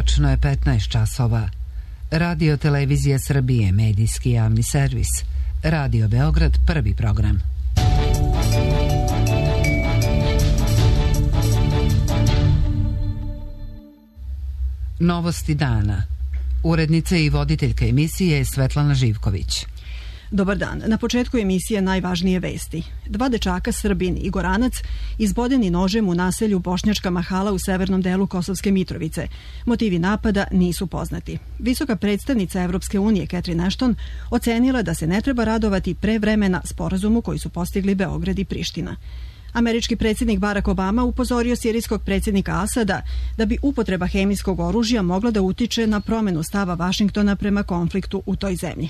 Tačno je 15 časova. Radio Televizija Srbije, medijski javni servis. Radio Beograd, prvi program. Novosti dana. Urednica i voditeljka emisije je Svetlana Živković. Dobar dan. Na početku emisije najvažnije vesti. 2 dečaka, Srbin i Goranac, izbodeni nožem u naselju Bošnjačka Mahala u severnom delu Kosovske Mitrovice. Motivi napada nisu poznati. Visoka predstavnica Evropske unije Catherine Ashton ocenila da se ne treba radovati pre vremena sporazumu koji su postigli Beograd i Priština. Američki predsjednik Barack Obama upozorio sirijskog predsjednika Asada da bi upotreba hemijskog oružja mogla da utiče na promenu stava Vašingtona prema konfliktu u toj zemlji.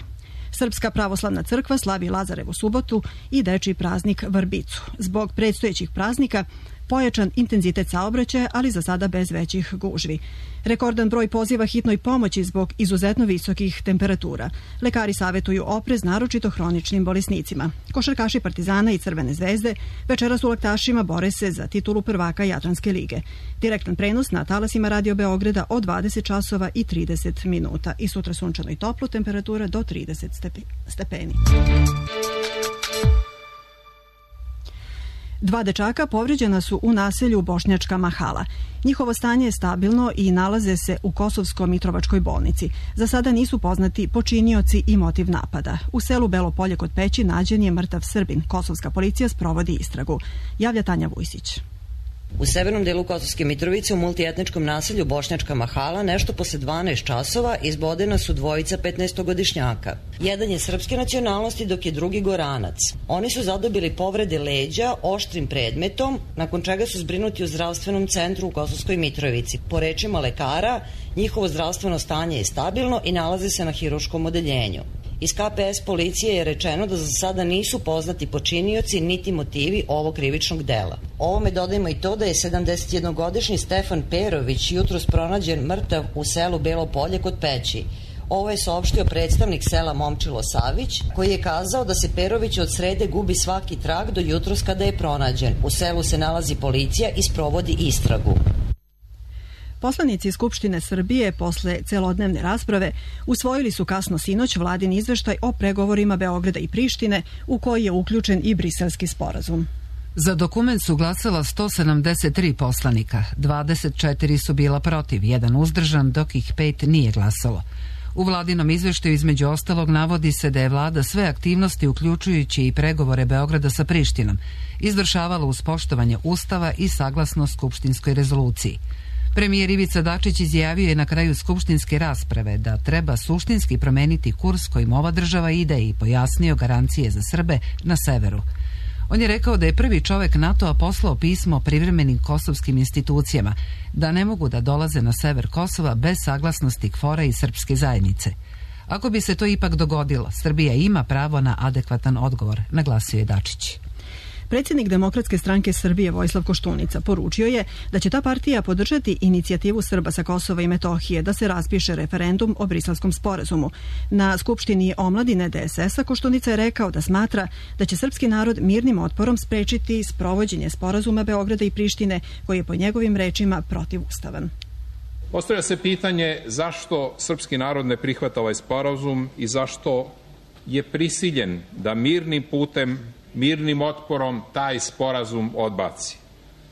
Srpska pravoslavna crkva slavi Lazarevu subotu i dečiji praznik Vrbicu. Zbog predstojećih praznika pojačan intenzitet saobraćaja, ali za sada bez većih gužvi. Rekordan broj poziva hitnoj pomoći zbog izuzetno visokih temperatura. Lekari savjetuju oprez naročito hroničnim bolesnicima. Košarkaši Partizana i Crvene zvezde večeras u Laktašima bore se za titulu prvaka Jadranske lige. Direktan prenos na talasima Radio Beograda od 20 časova i 30 minuta. I sutra sunčano i toplo, temperatura do 30 stepeni. 2 dečaka povređena su u naselju Bošnjačka Mahala. Njihovo stanje je stabilno i nalaze se u Kosovsko-Mitrovačkoj bolnici. Za sada nisu poznati počinioci i motiv napada. U selu Belo Polje kod Peći nađen je mrtav Srbin. Kosovska policija sprovodi istragu. Javlja Tanja Vujsić. U severnom delu Kosovske Mitrovice u multietničkom naselju Bošnjačka Mahala nešto posle 12 časova izbodena su dvojica 15-godišnjaka. Jedan je srpske nacionalnosti dok je drugi Goranac. Oni su zadobili povrede leđa oštrim predmetom, nakon čega su zbrinuti u zdravstvenom centru u Kosovskoj Mitrovici. Po rečima lekara, njihovo zdravstveno stanje je stabilno i nalaze se na hirurškom odeljenju. Iz KPS policije je rečeno da za sada nisu poznati počinioci niti motivi ovog krivičnog dela. Ovome dodajmo i to da je 71-godišnji Stefan Perović jutros pronađen mrtav u selu Belo Polje kod Peći. Ovo je saopštio predstavnik sela Momčilo Savić, koji je kazao da se Perović od srede gubi svaki trag do jutros kada je pronađen. U selu se nalazi policija i sprovodi istragu. Poslanici Skupštine Srbije posle celodnevne rasprave usvojili su kasno sinoć vladin izveštaj o pregovorima Beograda i Prištine u koji je uključen i Briselski sporazum. Za dokument su glasala 173 poslanika, 24 su bila protiv, 1 uzdržan, dok ih 5 nije glasalo. U vladinom izveštaju između ostalog navodi se da je vlada sve aktivnosti, uključujući i pregovore Beograda sa Prištinom, izvršavala uz poštovanje Ustava i saglasno skupštinskoj rezoluciji. Premijer Ivica Dačić izjavio je na kraju skupštinske rasprave da treba suštinski promeniti kurs kojim ova država ide i pojasnio garancije za Srbe na severu. On je rekao da je prvi čovek NATO-a poslao pismo privremenim kosovskim institucijama da ne mogu da dolaze na sever Kosova bez saglasnosti KFOR-a i srpske zajednice. Ako bi se to ipak dogodilo, Srbija ima pravo na adekvatan odgovor, naglasio je Dačić. Predsjednik Demokratske stranke Srbije Vojislav Koštunica poručio je da će ta partija podržati inicijativu Srba sa Kosova i Metohije da se raspiše referendum o Briselskom sporazumu. Na Skupštini omladine DSS-a Koštunica je rekao da smatra da će srpski narod mirnim otporom sprečiti sprovođenje sporazuma Beograda i Prištine, koji je po njegovim rečima protivustavan. Postavlja se pitanje zašto srpski narod ne prihvata ovaj sporazum i zašto je prisiljen da mirnim putem, mirnim otporom taj sporazum odbaci.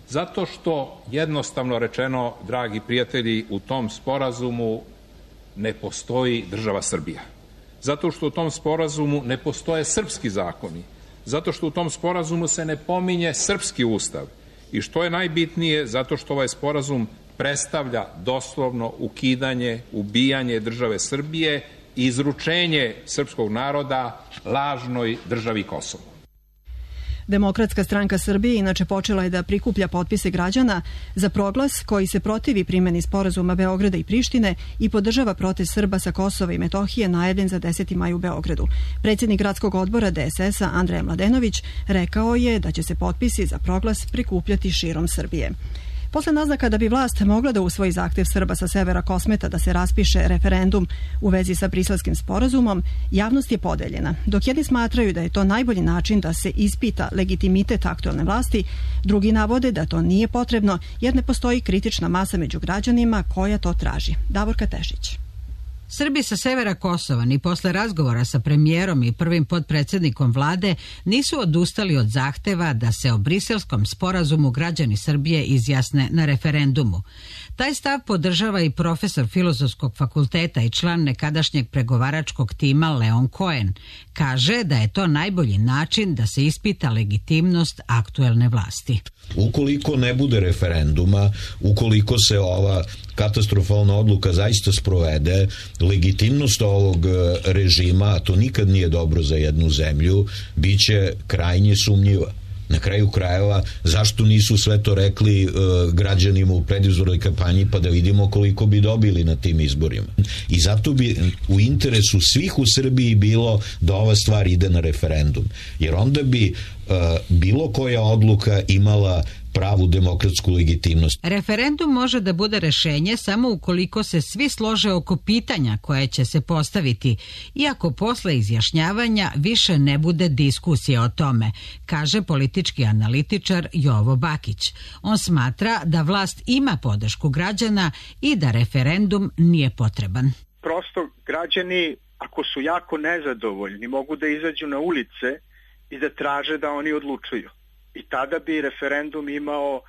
Zato što, jednostavno rečeno, dragi prijatelji, u tom sporazumu ne postoji država Srbija. Zato što u tom sporazumu ne postoje srpski zakoni. Zato što u tom sporazumu se ne pominje srpski ustav. I što je najbitnije, zato što ovaj sporazum predstavlja doslovno ukidanje, ubijanje države Srbije i izručenje srpskog naroda lažnoj državi Kosovo. Demokratska stranka Srbije inače počela je da prikuplja potpise građana za proglas koji se protivi primjeni sporazuma Beograda i Prištine i podržava protest Srba sa Kosova i Metohije najavljen za 10. maj u Beogradu. Predsjednik gradskog odbora DSS-a Andreja Mladenović rekao je da će se potpisi za proglas prikupljati širom Srbije. Posle naznaka da bi vlast mogla da usvoji zahtev Srba sa severa Kosmeta da se raspiše referendum u vezi sa Briselskim sporazumom, javnost je podeljena. Dok jedni smatraju da je to najbolji način da se ispita legitimitet aktuelne vlasti, drugi navode da to nije potrebno jer ne postoji kritična masa među građanima koja to traži. Davorka Tešić. Srbi sa severa Kosova ni posle razgovora sa premijerom i prvim potpredsjednikom vlade nisu odustali od zahteva da se o Briselskom sporazumu građani Srbije izjasne na referendumu. Taj stav podržava i profesor Filozofskog fakulteta i član nekadašnjeg pregovaračkog tima Leon Cohen. Kaže da je to najbolji način da se ispita legitimnost aktuelne vlasti. Ukoliko ne bude referenduma, ukoliko se ova katastrofalna odluka zaista sprovede, legitimnost ovog režima, a to nikad nije dobro za jednu zemlju, bit će krajnje sumnjiva. Na kraju krajeva, zašto nisu sve to rekli građanima u predizbornoj kampanji pa da vidimo koliko bi dobili na tim izborima. I zato bi u interesu svih u Srbiji bilo da ova stvar ide na referendum. Jer onda bi bilo koja odluka imala pravu demokratsku legitimnost. Referendum može da bude rešenje samo ukoliko se svi slože oko pitanja koje će se postaviti, iako posle izjašnjavanja više ne bude diskusije o tome, kaže politički analitičar Jovo Bakić. On smatra da vlast ima podršku građana i da referendum nije potreban. Prosto građani, ako su jako nezadovoljni, mogu da izađu na ulice i da traže da oni odlučuju. I tada bi referendum imao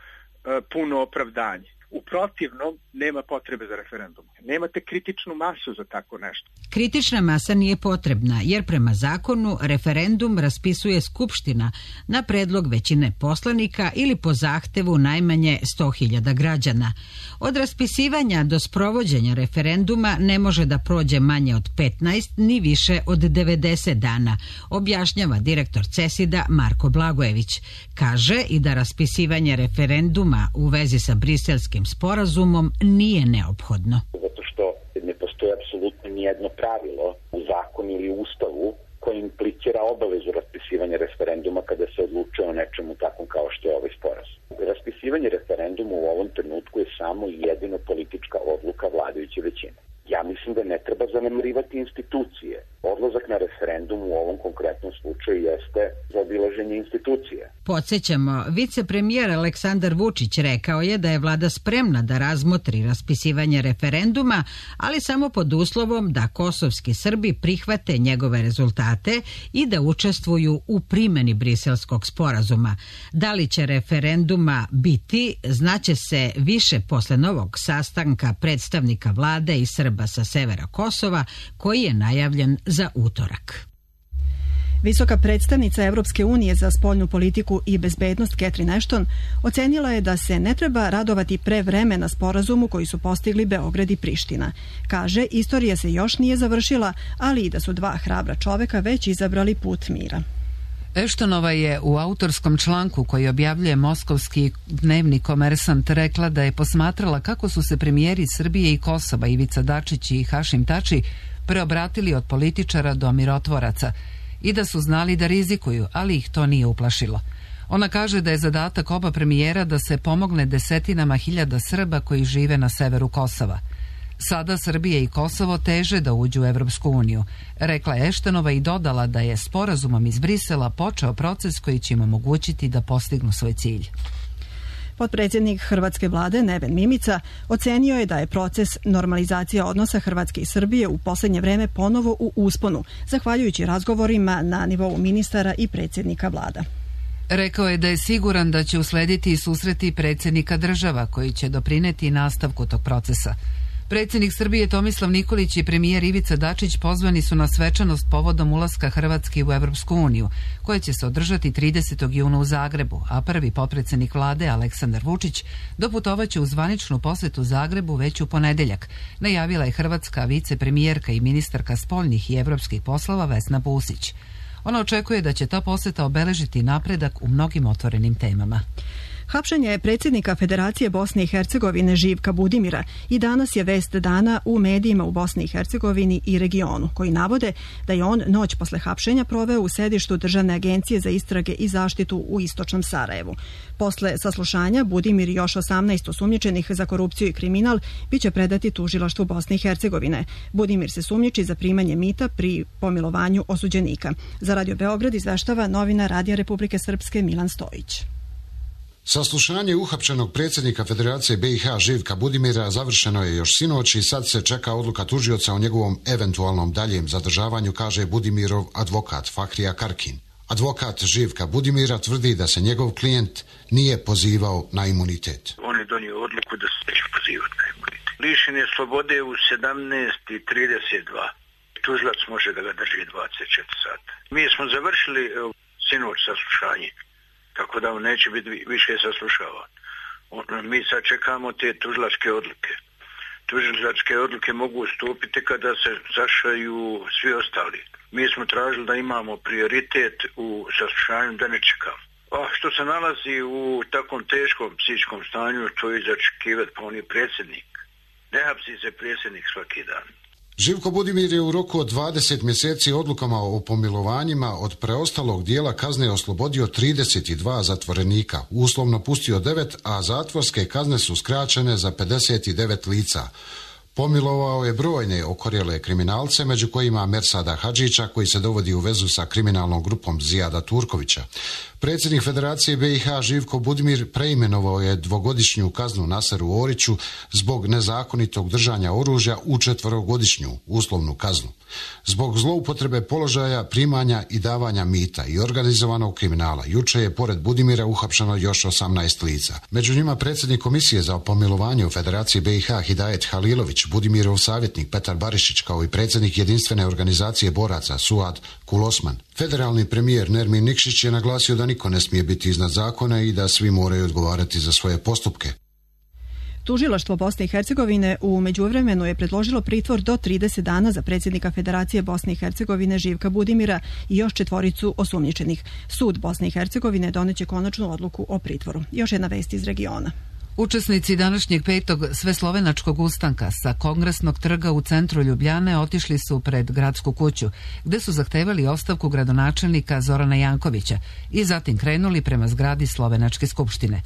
puno opravdanje. U protivnom, nema potrebe za referendum. Nemate kritičnu masu za tako nešto. Kritična masa nije potrebna, jer prema zakonu referendum raspisuje Skupština na predlog većine poslanika ili po zahtevu najmanje 100.000 građana. Od raspisivanja do sprovođenja referenduma ne može da prođe manje od 15 ni više od 90 dana, objašnjava direktor CESID-a Marko Blagojević. Kaže i da raspisivanje referenduma u vezi sa Briselskim sporazumom nije neophodno. Zato što ne postoji apsolutno nijedno pravilo u zakonu ili ustavu koje implicira obavezu raspisivanja referenduma kada se odlučuje o nečemu takvom kao što je ovaj sporazum. Raspisivanje referenduma u ovom trenutku je samo i jedino politička odluka vladajuće većine. Ja mislim da ne treba zanemarivati institucije. Odlazak na referendum u ovom konkretnom slučaju jeste zaobilaženje institucije. Podsjećamo, vicepremijer Aleksandar Vučić rekao je da je vlada spremna da razmotri raspisivanje referenduma, ali samo pod uslovom da kosovski Srbi prihvate njegove rezultate i da učestvuju u primjeni Briselskog sporazuma. Da li će referenduma biti, znaće se više posle novog sastanka predstavnika vlade i Srba sa severa Kosova, koji je najavljen za utorak. Visoka predstavnica Evropske unije za spoljnu politiku i bezbednost Catherine Ashton ocenila je da se ne treba radovati pre vremena sporazumu koji su postigli Beograd i Priština. Kaže, istorija se još nije završila, ali i da su dva hrabra čoveka već izabrali put mira. Eštonova je u autorskom članku koji objavljuje moskovski dnevni Komersant rekla da je posmatrala kako su se premijeri Srbije i Kosova Ivica Dačić i Hašim Tači preobratili od političara do mirotvoraca i da su znali da rizikuju, ali ih to nije uplašilo. Ona kaže da je zadatak oba premijera da se pomogne desetinama hiljada Srba koji žive na severu Kosova. Sada Srbija i Kosovo teže da uđu u Evropsku uniju, rekla je Eštonova i dodala da je sporazumom iz Brisela počeo proces koji će im omogućiti da postignu svoj cilj. Potpredsjednik hrvatske vlade Neven Mimica ocenio je da je proces normalizacije odnosa Hrvatske i Srbije u posljednje vreme ponovo u usponu, zahvaljujući razgovorima na nivou ministara i predsjednika vlada. Rekao je da je siguran da će uslediti i susreti predsjednika država koji će doprineti nastavku tog procesa. Predsjednik Srbije Tomislav Nikolić i premijer Ivica Dačić pozvani su na svečanost povodom ulaska Hrvatske u Evropsku uniju, koja će se održati 30. juna u Zagrebu, a prvi potpredsjednik vlade Aleksandar Vučić doputovaće u zvaničnu posjetu Zagrebu već u ponedeljak, najavila je hrvatska vicepremijerka i ministarka spoljnih i evropskih poslova Vesna Pusić. Ona očekuje da će ta posjeta obeležiti napredak u mnogim otvorenim temama. Hapšenje predsjednika Federacije Bosne i Hercegovine Živka Budimira i danas je vest dana u medijima u Bosni i Hercegovini i regionu, koji navode da je on noć posle hapšenja proveo u sedištu Državne agencije za istrage i zaštitu u istočnom Sarajevu. Posle saslušanja Budimir i još 18 osumnjičenih za korupciju i kriminal biće predati tužilaštvu Bosne i Hercegovine. Budimir se sumnjiči za primanje mita pri pomilovanju osuđenika. Za Radio Beograd izveštava novinar Radija Republike Srpske Milan Stojić. Saslušanje uhapšenog predsjednika Federacije BiH Živka Budimira završeno je još sinoć i sad se čeka odluka tužioca o njegovom eventualnom daljem zadržavanju, kaže Budimirov advokat Fahrija Karkin. Advokat Živka Budimira tvrdi da se njegov klijent nije pozivao na imunitet. On je donio odluku da se neće pozivati na imunitet. Lišen je slobode u 17:32. Tužilac može da ga drži 24 sata. Mi smo završili sinoć saslušanje, tako da on neće biti više saslušavan. Mi sad čekamo te tužilačke odluke. Tužilačke odluke mogu stupiti kada se zašaju svi ostali. Mi smo tražili da imamo prioritet u saslušanju, da ne čekamo. A što se nalazi u takvom teškom psihičkom stanju, to je začekivati, pa on je predsjednik. Ne hapsi se predsjednik svaki dan. Živko Budimir je u roku od 20 mjeseci odlukama o pomilovanjima od preostalog dijela kazne oslobodio 32 zatvorenika, uslovno pustio 9, a zatvorske kazne su skraćene za 59 lica. Pomilovao je brojne okorjele kriminalce, među kojima Mersada Hadžića, koji se dovodi u vezu sa kriminalnom grupom Zijada Turkovića. Predsjednik Federacije BiH Živko Budimir preimenovao je dvogodišnju kaznu Naseru Oriću zbog nezakonitog držanja oružja u 4-godišnju uslovnu kaznu. Zbog zloupotrebe položaja, primanja i davanja mita i organizovanog kriminala, juče je pored Budimira uhapšeno još 18 lica. Među njima predsjednik Komisije za pomilovanje u Federaciji BiH Hidajet Halilović, Budimirov savjetnik Petar Barišić, kao i predsjednik jedinstvene organizacije boraca Suad Kulosman. Federalni premijer Nermin Nikšić je naglasio da niko ne smije biti iznad zakona i da svi moraju odgovarati za svoje postupke. Tužilaštvo Bosne i Hercegovine u međuvremenu je predložilo pritvor do 30 dana za predsjednika Federacije Bosne i Hercegovine Živka Budimira i još 4 osumnjičenih. Sud Bosne i Hercegovine doneće konačnu odluku o pritvoru. Još jedna vest iz regiona. Učesnici današnjeg 5. sveslovenačkog ustanka sa Kongresnog trga u centru Ljubljane otišli su pred gradsku kuću, gde su zahtevali ostavku gradonačelnika Zorana Jankovića i zatim krenuli prema zgradi Slovenačke skupštine.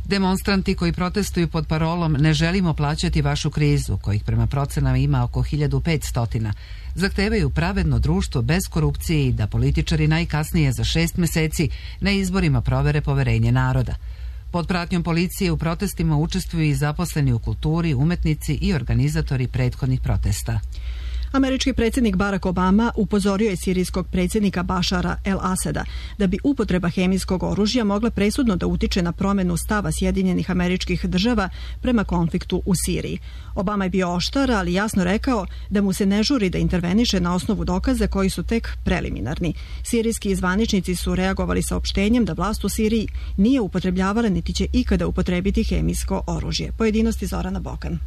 Demonstranti koji protestuju pod parolom "Ne želimo plaćati vašu krizu", kojih prema procenama ima oko 1500, zahtevaju pravedno društvo bez korupcije i da političari najkasnije za 6 mjeseci na izborima provere poverenje naroda. Pod pratnjom policije u protestima učestvuju i zaposleni u kulturi, umetnici i organizatori prethodnih protesta. Američki predsjednik Barack Obama upozorio je sirijskog predsjednika Bašara el-Asada da bi upotreba hemijskog oružja mogla presudno da utiče na promjenu stava Sjedinjenih Američkih Država prema konfliktu u Siriji. Obama je bio oštar, ali jasno rekao da mu se ne žuri da interveniše na osnovu dokaza koji su tek preliminarni. Sirijski zvaničnici su reagovali saopštenjem da vlast u Siriji nije upotrebljavala niti će ikada upotrebiti hemijsko oružje. Pojedinosti Zorana Bokan.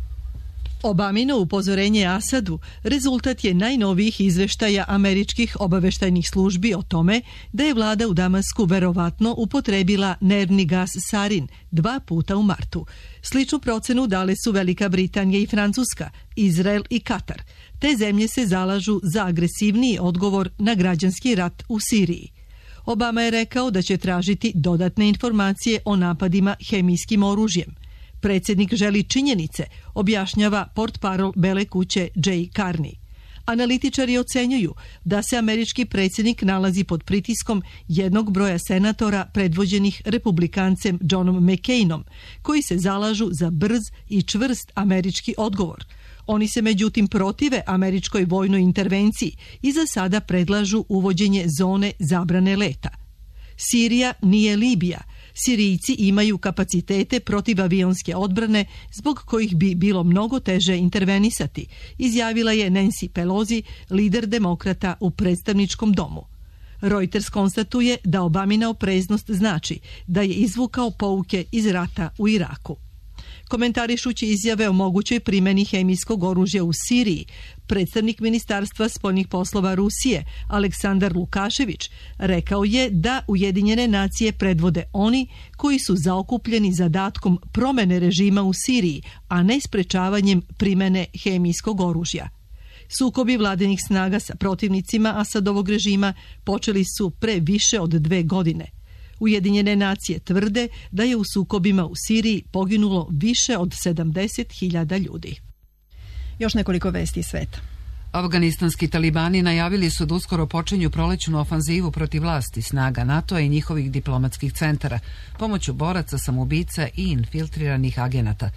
Obamino upozorenje Asadu rezultat je najnovijih izveštaja američkih obaveštajnih službi o tome da je vlada u Damasku verovatno upotrebila nervni gas sarin 2 puta u martu. Sličnu procenu dale su Velika Britanija i Francuska, Izrael i Katar. Te zemlje se zalažu za agresivniji odgovor na građanski rat u Siriji. Obama je rekao da će tražiti dodatne informacije o napadima hemijskim oružjem. Predsjednik želi činjenice, objašnjava portparol Bele kuće Jay Carney. Analitičari ocenjuju da se američki predsjednik nalazi pod pritiskom jednog broja senatora predvođenih republikancem Johnom McCainom, koji se zalažu za brz i čvrst američki odgovor. Oni se međutim protive američkoj vojnoj intervenciji i za sada predlažu uvođenje zone zabrane leta. Sirija nije Libija. Sirijci imaju kapacitete protivavionske odbrane zbog kojih bi bilo mnogo teže intervenisati, izjavila je Nancy Pelosi, lider demokrata u predstavničkom domu. Reuters konstatuje da Obamina opreznost znači da je izvukao pouke iz rata u Iraku. Komentarišući izjave o mogućoj primjeni hemijskog oružja u Siriji, Predstavnik Ministarstva spoljnih poslova Rusije, Aleksandar Lukašević, rekao je da Ujedinjene nacije predvode oni koji su zaokupljeni zadatkom promene režima u Siriji, a ne sprečavanjem primene hemijskog oružja. Sukobi vladinih snaga sa protivnicima Asadovog režima počeli su pre više od 2 godine. Ujedinjene nacije tvrde da je u sukobima u Siriji poginulo više od 70.000 ljudi. Još nekoliko vesti iz sveta. Afganistanski talibani najavili su da uskoro počinju prolećnu ofanzivu protiv vlasti snaga NATO-a i njihovih diplomatskih centara pomoću boraca, samoubica i infiltriranih agenata.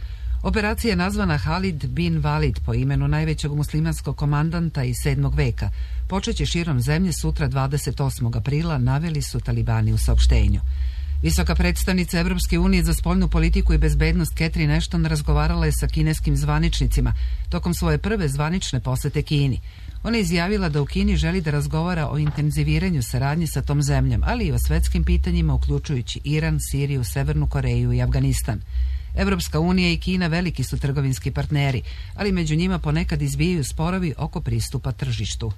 Operacija je nazvana Halid bin Walid po imenu najvećeg muslimanskog komandanta iz 7. veka. Počeće širom zemlje sutra 28. aprila, naveli su talibani u saopštenju. Visoka predstavnica Evropske unije za spoljnu politiku i bezbednost Catherine Ashton razgovarala je sa kineskim zvaničnicima tokom svoje prve zvanične posete Kini. Ona je izjavila da u Kini želi da razgovara o intenziviranju saradnje sa tom zemljom, ali i o svetskim pitanjima uključujući Iran, Siriju, Severnu Koreju i Afganistan. Evropska unija i Kina veliki su trgovinski partneri, ali među njima ponekad izbijaju sporovi oko pristupa tržištu.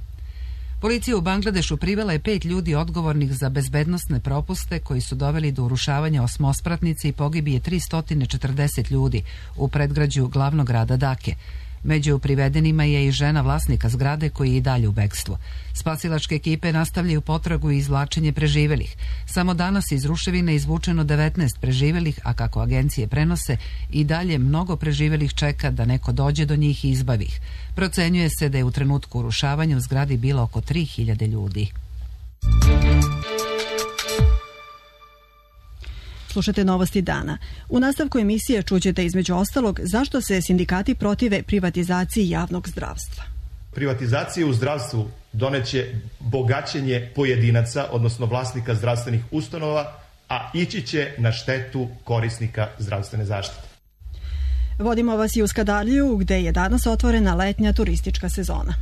Policija u Bangladešu privela je 5 ljudi odgovornih za bezbednosne propuste koji su doveli do urušavanja osmospratnice i pogibije 340 ljudi u predgrađu glavnog grada Dake. Među privedenima je i žena vlasnika zgrade koji je i dalje u bekstvu. Spasilačke ekipe nastavljaju potragu i izvlačenje preživelih. Samo danas iz ruševina izvučeno 19 preživelih, a kako agencije prenose, i dalje mnogo preživelih čeka da neko dođe do njih i izbavi ih. Procenjuje se da je u trenutku urušavanja u zgradi bilo oko 3000 ljudi. Slušate novosti dana. U nastavku emisije čućete između ostalog zašto se sindikati protive privatizaciji javnog zdravstva. Privatizacija u zdravstvu doneće bogaćenje pojedinaca, odnosno vlasnika zdravstvenih ustanova, a ići će na štetu korisnika zdravstvene zaštite. Vodimo vas i u Skadarliju, gde je danas otvorena letnja turistička sezona.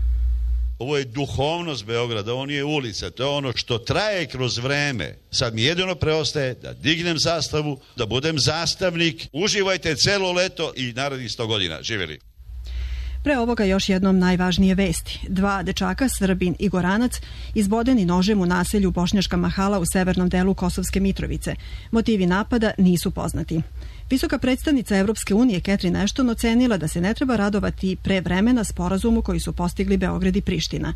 Ovo je duhovnost Beograda, ovo nije ulica, to je ono što traje kroz vreme. Sad mi jedino preostaje da dignem zastavu, da budem zastavnik. Uživajte celo leto i narednih 100 godina. Živjeli! Pre ovoga još jednom najvažnije vesti. 2 dečaka, Srbin i Goranac, izbodeni nožem u naselju Bošnjačka Mahala u severnom delu Kosovske Mitrovice. Motivi napada nisu poznati. Visoka predstavnica Evropske unije Catherine Ashton ocenila da se ne treba radovati pre vremena sporazumu koji su postigli Beograd i Priština.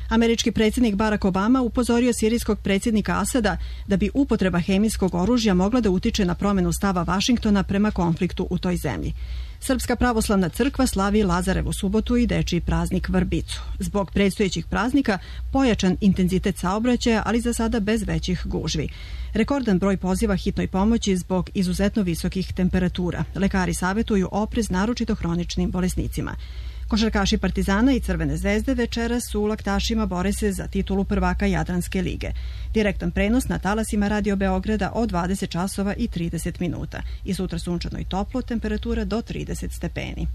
Američki predsjednik Barack Obama upozorio sirijskog predsjednika Asada da bi upotreba hemijskog oružja mogla da utiče na promenu stava Vašingtona prema konfliktu u toj zemlji. Srpska pravoslavna crkva slavi Lazarevu subotu i dečiji praznik Vrbicu. Zbog predstojećih praznika pojačan intenzitet saobraćaja, ali za sada bez većih gužvi. Rekordan broj poziva hitnoj pomoći zbog izuzetno visokih temperatura. Lekari savjetuju oprez naročito hroničnim bolesnicima. Košarkaši Partizana i Crvene zvezde večeras u Laktašima bore se za titulu prvaka Jadranske lige. Direktan prenos na talasima Radio Beograda od 20 časova i 30 minuta. I sutra sunčano i toplo, temperatura do 30 stepeni.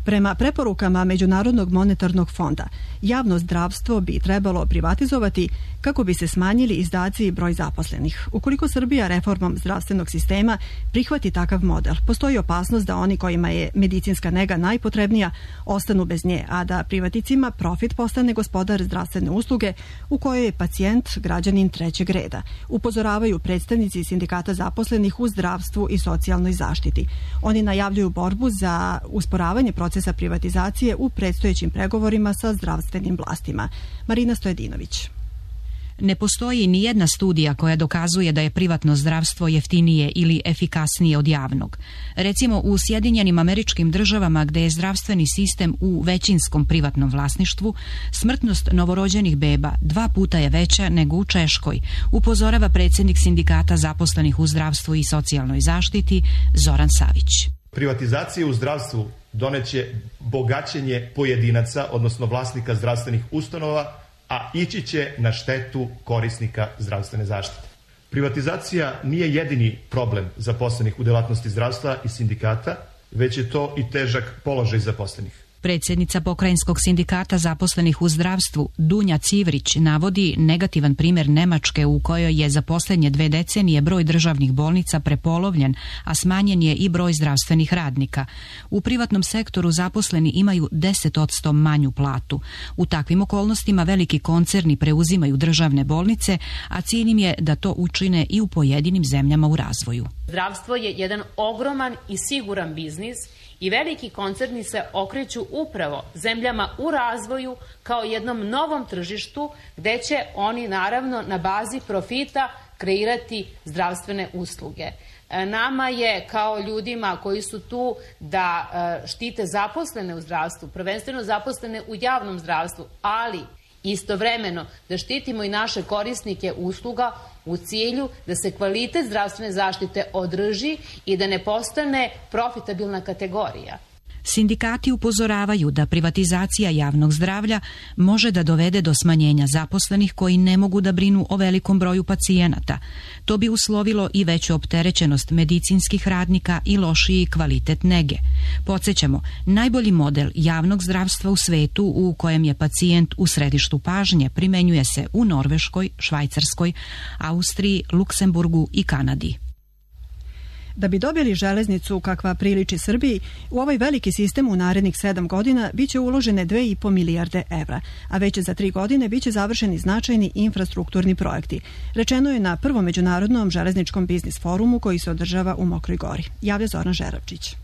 Prema preporukama Međunarodnog monetarnog fonda, javno zdravstvo bi trebalo privatizovati kako bi se smanjili izdaci i broj zaposlenih. Ukoliko Srbija reformom zdravstvenog sistema prihvati takav model, postoji opasnost da oni kojima je medicinska nega najpotrebnija ostanu bez nje, a da privatnicima profit postane gospodar zdravstvene usluge u kojoj je pacijent građanin trećeg reda. Upozoravaju predstavnici sindikata zaposlenih u zdravstvu i socijalnoj zaštiti. Oni najavljuju borbu za usporavanje procesa privatizacije u predstojećim pregovorima sa zdravstvenim vlastima. Marina Stojedinović. Ne postoji ni jedna studija koja dokazuje da je privatno zdravstvo jeftinije ili efikasnije od javnog. Recimo u Sjedinjenim Američkim Državama, gde je zdravstveni sistem u većinskom privatnom vlasništvu, smrtnost novorođenih beba 2 puta je veća nego u Češkoj, upozorava predsjednik sindikata zaposlenih u zdravstvu i socijalnoj zaštiti Zoran Savić. Privatizacija u zdravstvu doneće bogaćenje pojedinaca, odnosno vlasnika zdravstvenih ustanova, a ići će na štetu korisnika zdravstvene zaštite. Privatizacija nije jedini problem zaposlenih u delatnosti zdravstva i sindikata, već je to i težak položaj zaposlenih. Predsjednica Pokrajinskog sindikata zaposlenih u zdravstvu Dunja Civrić navodi negativan primjer Nemačke u kojoj je za posljednje 2 decenije broj državnih bolnica prepolovljen, a smanjen je i broj zdravstvenih radnika. U privatnom sektoru zaposleni imaju 10% manju platu. U takvim okolnostima veliki koncerni preuzimaju državne bolnice, a cilj im je da to učine i u pojedinim zemljama u razvoju. Zdravstvo je jedan ogroman i siguran biznis i veliki koncerni se okreću upravo zemljama u razvoju kao jednom novom tržištu gde će oni naravno na bazi profita kreirati zdravstvene usluge. Nama je kao ljudima koji su tu da štite zaposlene u zdravstvu, prvenstveno zaposlene u javnom zdravstvu, ali istovremeno da štitimo i naše korisnike usluga u cilju da se kvalitet zdravstvene zaštite održi i da ne postane profitabilna kategorija. Sindikati upozoravaju da privatizacija javnog zdravlja može da dovede do smanjenja zaposlenih koji ne mogu da brinu o velikom broju pacijenata. To bi uslovilo i veću opterećenost medicinskih radnika i lošiji kvalitet nege. Podsjećamo, najbolji model javnog zdravstva u svetu u kojem je pacijent u središtu pažnje primenjuje se u Norveškoj, Švajcarskoj, Austriji, Luksemburgu i Kanadi. Da bi dobili železnicu kakva priliči Srbiji, u ovaj veliki sistem u narednih 7 godina biće uložene 2,5 milijarde evra, a već za 3 godine biće završeni značajni infrastrukturni projekti. Rečeno je na prvom međunarodnom železničkom biznis forumu koji se održava u Mokroj Gori. Javlja Zoran Žeravčić.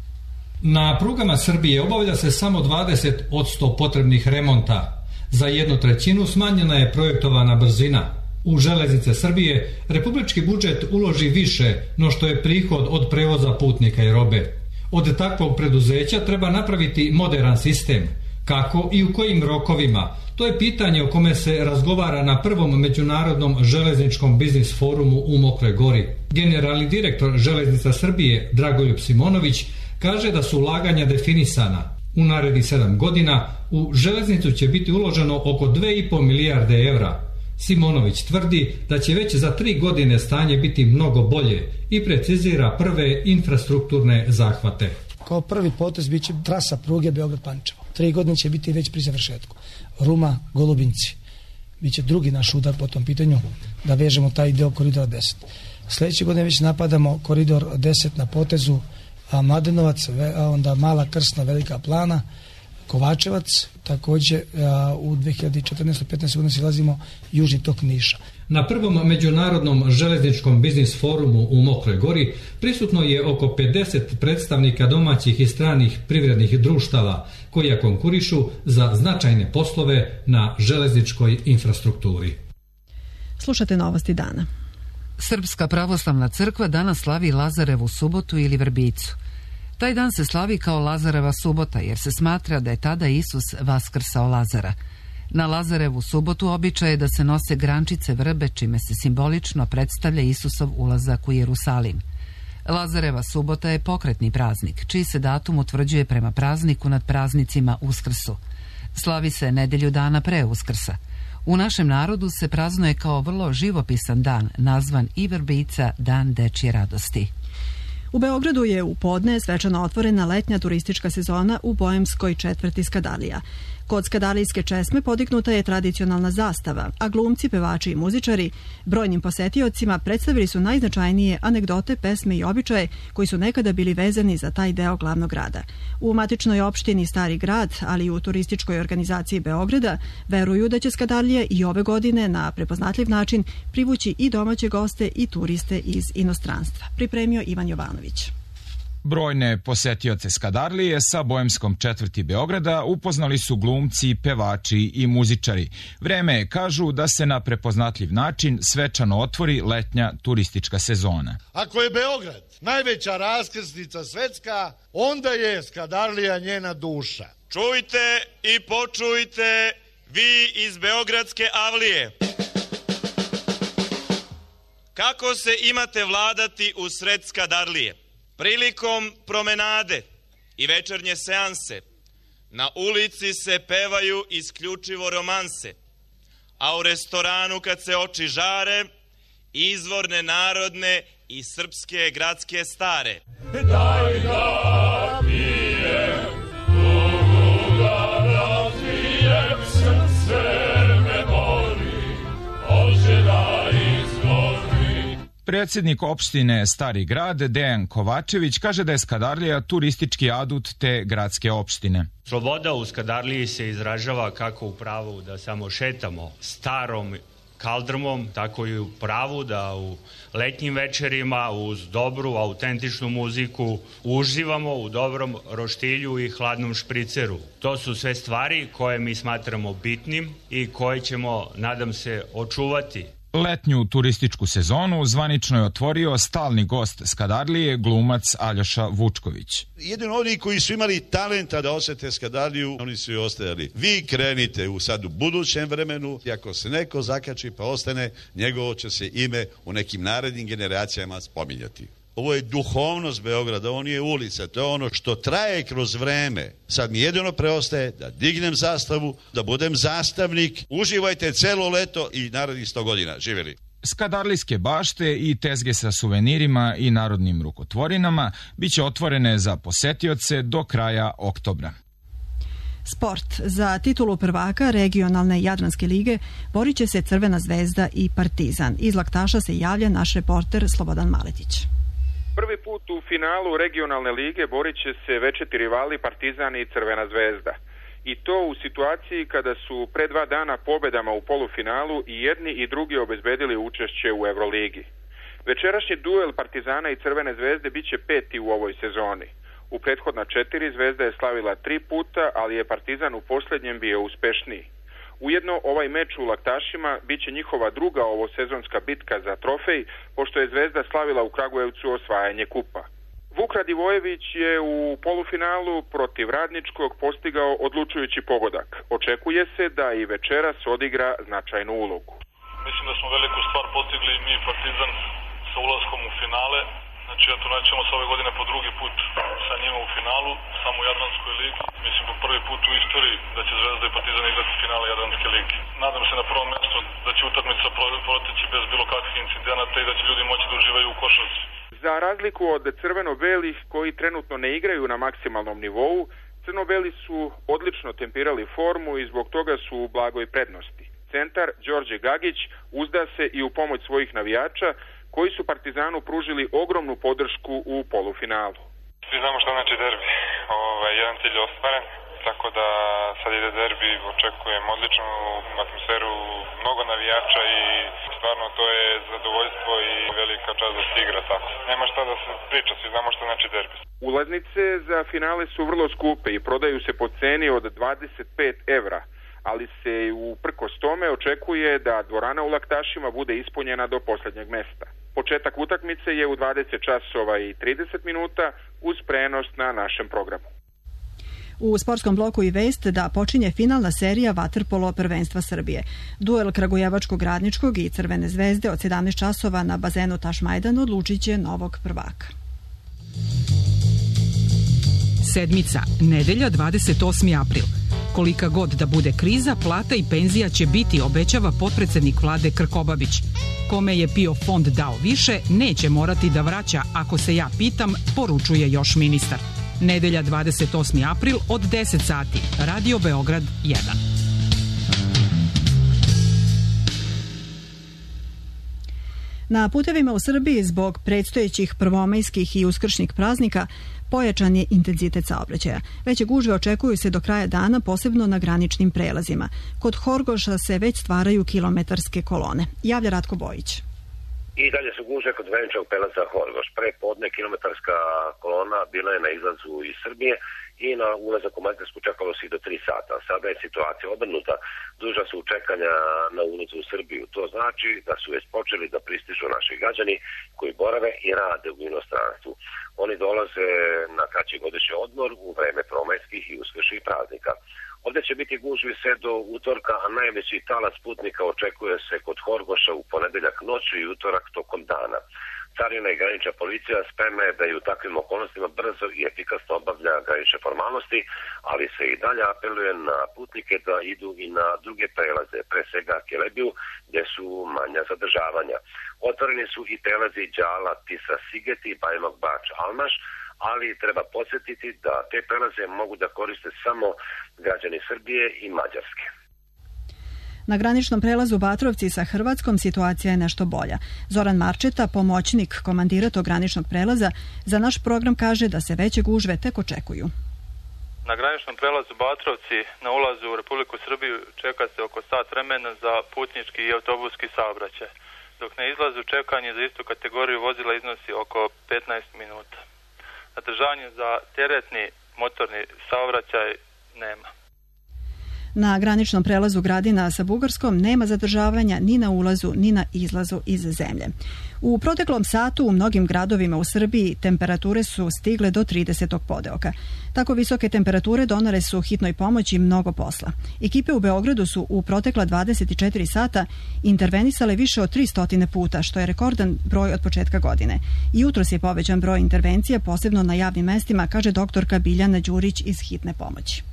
Na prugama Srbije obavlja se samo 20% potrebnih remonta. Za 1/3 smanjena je projektovana brzina. U železnice Srbije republički budžet uloži više no što je prihod od prevoza putnika i robe. Od takvog preduzeća treba napraviti moderan sistem. Kako i u kojim rokovima? To je pitanje o kome se razgovara na prvom međunarodnom železničkom biznis forumu u Mokroj Gori. Generalni direktor Železnica Srbije Dragoljub Simonović kaže da su ulaganja definisana. U narednih 7 godina u železnicu će biti uloženo oko 2,5 milijarde evra. Simonović tvrdi da će već za 3 godine stanje biti mnogo bolje i precizira prve infrastrukturne zahvate. Kao prvi potez biće trasa pruge Beograd-Pančevo. 3 godine će biti već pri završetku. Ruma-Golubinci. Biće drugi naš udar po tom pitanju da vežemo taj deo koridora 10. Sljedeće godine već napadamo koridor 10 na potezu Mladenovac, onda Mala Krsna, Velika Plana, Kovačevac, također u 2014-15 godina silazimo južni tok Niša. Na prvom međunarodnom železničkom biznis forumu u Mokroj Gori prisutno je oko 50 predstavnika domaćih i stranih privrednih društava koja konkurišu za značajne poslove na železničkoj infrastrukturi. Slušate novosti dana. Srpska pravoslavna crkva danas slavi Lazarevu subotu ili Vrbicu. Taj dan se slavi kao Lazareva subota jer se smatra da je tada Isus vaskrsao Lazara. Na Lazarevu subotu običaj je da se nose grančice vrbe čime se simbolično predstavlja Isusov ulazak u Jerusalim. Lazareva subota je pokretni praznik, čiji se datum utvrđuje prema prazniku nad praznicima Uskrsu. Slavi se nedelju dana pre Uskrsa. U našem narodu se praznuje kao vrlo živopisan dan, nazvan i Vrbica, dan dečje radosti. U Beogradu je u podne svečano otvorena letnja turistička sezona u boemskoj četvrti Skadalija. Kod skadalijske česme podignuta je tradicionalna zastava, a glumci, pevači i muzičari brojnim posetiocima predstavili su najznačajnije anegdote, pesme i običaje koji su nekada bili vezani za taj deo glavnog grada. U matičnoj opštini Stari grad, ali i u turističkoj organizaciji Beograda, veruju da će Skadalija i ove godine na prepoznatljiv način privući i domaće goste i turiste iz inostranstva. Pripremio Ivan Jovanović. Brojne posetioce Skadarlije sa boemskom četvrti Beograda upoznali su glumci, pevači i muzičari. Vreme je, kažu, da se na prepoznatljiv način svečano otvori letnja turistička sezona. Ako je Beograd najveća raskrsnica svetska, onda je Skadarlija njena duša. Čujte i počujte vi iz Beogradske avlije. Kako se imate vladati u sred Skadarlije? Prilikom promenade i večernje seanse na ulici se pevaju isključivo romanse, a u restoranu kad se oči žare, izvorne narodne i srpske gradske stare. Daj da pijem, Bogu da Predsjednik opštine Stari grad Dejan Kovačević kaže da je Skadarlija turistički adut te gradske opštine. Sloboda u Skadarliji se izražava kako u pravu da samo šetamo starom kaldrmom, tako i u pravu da u letnjim večerima uz dobru, autentičnu muziku uživamo u dobrom roštilju i hladnom špriceru. To su sve stvari koje mi smatramo bitnim i koje ćemo, nadam se, očuvati. Letnju turističku sezonu zvanično je otvorio stalni gost Skadarlije, glumac Aljoša Vučković. Jedino oni koji su imali talenta da osete Skadarliju, oni su i ostajali. Vi krenite sad u budućem vremenu i ako se neko zakači pa ostane, njegovo će se ime u nekim narednim generacijama spominjati. Ovo je duhovnost Beograda, ovo nije ulica, to je ono što traje kroz vreme. Sad mi jedino preostaje da dignem zastavu, da budem zastavnik. Uživajte celo leto i narednih 100 godina. Živjeli! Skadarlijske bašte i tezge sa suvenirima i narodnim rukotvorinama biće otvorene za posetioce do kraja oktobra. Sport. Za titulu prvaka regionalne Jadranske lige borit će se Crvena zvezda i Partizan. Iz Laktaša se javlja naš reporter Slobodan Maletić. Prvi put u finalu regionalne lige borit će se večiti rivali Partizan i Crvena zvezda. I to u situaciji kada su pre 2 dana pobedama u polufinalu i jedni i drugi obezbedili učešće u Euroligi. Večerašnji duel Partizana i Crvene zvezde biće 5. u ovoj sezoni. U prethodna 4 Zvezda je slavila 3 puta, ali je Partizan u posljednjem bio uspešniji. Ujedno, ovaj meč u Laktašima biće njihova druga ovosezonska bitka za trofej, pošto je Zvezda slavila u Kragujevcu osvajanje kupa. Vuk Radivojević je u polufinalu protiv Radničkog postigao odlučujući pogodak. Očekuje se da i večeras odigra značajnu ulogu. Mislim da smo veliku stvar postigli mi Partizan sa ulaskom u finale. Znači, eto, naćemo se ove godine po drugi put sa njima u finalu, samo u Jadranskoj ligi. Mislim, po prvi put u istoriji da će Zvezda i Partizan igrati finale Jadranske lige. Nadam se na prvom mjestu da će utakmica proteći bez bilo kakvih incidenata i da će ljudi moći da uživaju u košarci. Za razliku od crveno-belih koji trenutno ne igraju na maksimalnom nivou, crno-beli su odlično tempirali formu i zbog toga su u blagoj prednosti. Centar Đorđe Gagić uzda se i u pomoć svojih navijača koji su Partizanu pružili ogromnu podršku u polufinalu. Svi znamo što znači derbi. Jedan cilj je ostvaren, tako da sad ide derbi, očekujem odličnu atmosferu, mnogo navijača i stvarno to je zadovoljstvo i velika čast da se igra tako. Nema šta da se priča, svi znamo što znači derbi. Ulaznice za finale su vrlo skupe i prodaju se po ceni od 25 evra, ali se uprkos tome očekuje da dvorana u Laktašima bude ispunjena do posljednjeg mesta. Početak utakmice je u 20 časova i 30 minuta uz prenos na našem programu. U sportskom bloku i vest da počinje finalna serija vaterpolo prvenstva Srbije. Duel Kragujevačkog Radničkog i Crvene zvezde od 17 časova na bazenu Tašmajdan odlučit će novog prvaka. Sedmica, nedelja 28. april. Kolika god da bude kriza, plata i penzija će biti, obećava potpredsednik vlade Krkobabić. Kome je PIO fond dao više, neće morati da vraća, ako se ja pitam, poručuje još ministar. Nedelja 28. april od 10 sati. Radio Beograd 1. Na putevima u Srbiji zbog predstojećih prvomajskih i uskršnjih praznika pojačan je intenzitet saobraćaja. Veće gužve očekuju se do kraja dana, posebno na graničnim prelazima. Kod Horgoša se već stvaraju kilometarske kolone. Javlja Ratko Bojić. I dalje su gužve kod graničnog prelaza Horgoš. Pre podne kilometarska kolona bila je na izlazu iz Srbije i na ulazak u Mađarsku čekalo se i do 3 sata. Sada je situacija obrnuta. Duža su čekanja na ulazu u Srbiju. To znači da su već počeli da pristižu naši građani koji borave i rade u inostranstvu. Oni dolaze na kraći godišnji odmor u vreme promajskih i uskršnjih praznika. Ovdje će biti gužvi sve do utorka, a najveći talas putnika očekuje se kod Horgoša u ponedeljak noću i utorak tokom dana. Carina i granična policija spremna je da i u takvim okolnostima brzo i efikasno obavlja granične formalnosti, ali se i dalje apeluje na putnike da idu i na druge prelaze, pre svega Kelebiju, gdje su manja zadržavanja. Otvoreni su i prelazi Đala, Tisa, Sigeti, Bajmok, Bač, Almaš, ali treba podsjetiti da te prelaze mogu da koriste samo građani Srbije i Mađarske. Na graničnom prelazu Batrovci sa Hrvatskom situacija je nešto bolja. Zoran Marčeta, pomoćnik komandira tog graničnog prelaza, za naš program kaže da se veće gužve tek očekuju. Na graničnom prelazu Batrovci na ulazu u Republiku Srbiju čeka se oko sat vremena za putnički i autobuski saobraćaj, dok na izlazu čekanje za istu kategoriju vozila iznosi oko 15 minuta. Zadržavanje za teretni motorni saobraćaj nema. Na graničnom prelazu Gradina sa Bugarskom nema zadržavanja ni na ulazu ni na izlazu iz zemlje. U proteklom satu u mnogim gradovima u Srbiji temperature su stigle do 30. podeoka. Tako visoke temperature donale su hitnoj pomoći mnogo posla. Ekipe u Beogradu su u protekla 24 sata intervenisale više od 300 puta, što je rekordan broj od početka godine. Jutros je povećan broj intervencija, posebno na javnim mestima, kaže doktorka Biljana Đurić iz hitne pomoći.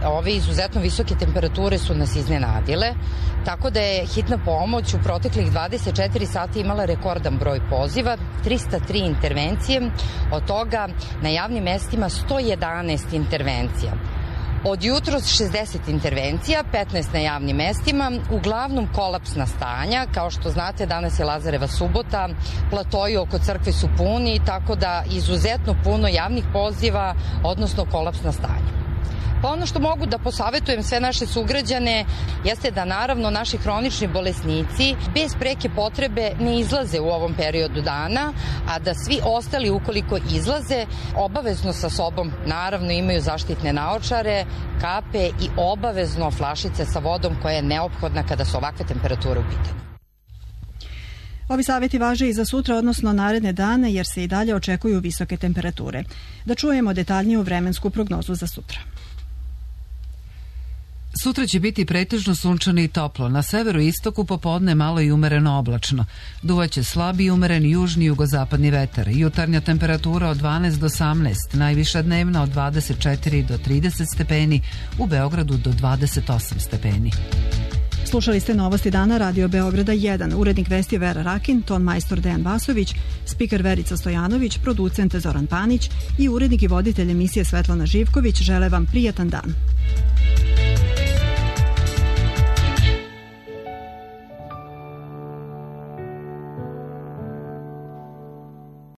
Ove izuzetno visoke temperature su nas iznenadile, tako da je hitna pomoć u proteklih 24 sata imala rekordan broj poziva, 303 intervencije, od toga na javnim mestima 111 intervencija. Od jutros 60 intervencija, 15 na javnim mestima, uglavnom kolapsna stanja. Kao što znate, danas je Lazareva subota, platoji oko crkve su puni, tako da izuzetno puno javnih poziva, odnosno kolapsna stanja. Pa ono što mogu da posavetujem sve naše sugrađane jeste da naravno naši hronični bolesnici bez preke potrebe ne izlaze u ovom periodu dana, a da svi ostali ukoliko izlaze obavezno sa sobom naravno imaju zaštitne naočare, kape i obavezno flašice sa vodom koja je neophodna kada su ovakve temperature u pitanju. Ovi savjeti važe i za sutra, odnosno naredne dane, jer se i dalje očekuju visoke temperature. Da čujemo detaljniju vremensku prognozu za sutra. Sutra će biti pretežno sunčano i toplo. Na severu i istoku popodne malo i umereno oblačno. Duvaće slabi i umeren južni jugozapadni vetar. Jutarnja temperatura od 12 do 18, najviša dnevna od 24 do 30 stepeni, u Beogradu do 28 stepeni. Slušali ste Novosti dana Radio Beograda 1. Urednik vesti Vera Rakin, ton majstor Dejan Vasović, spiker Verica Stojanović, producent Zoran Panić i urednik i voditelj emisije Svetlana Živković žele vam prijatan dan.